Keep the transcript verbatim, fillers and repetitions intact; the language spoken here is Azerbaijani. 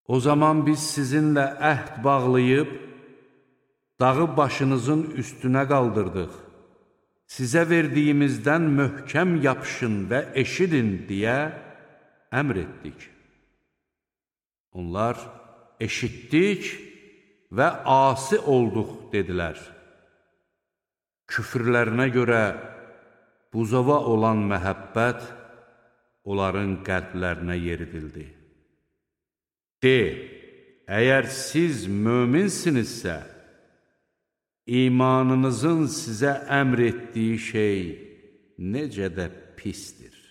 O zaman biz sizinlə əhd bağlayıb, dağı başınızın üstünə qaldırdıq. Sizə verdiyimizdən möhkəm yapışın və eşidin deyə əmr etdik. Onlar eşitdik və asi olduq dedilər. Küfrlərinə görə buzova olan məhəbbət onların qəlblərinə yeridildi. De, əgər siz möminsinizsə, imanınızın sizə əmr etdiyi şey necə də pisdir.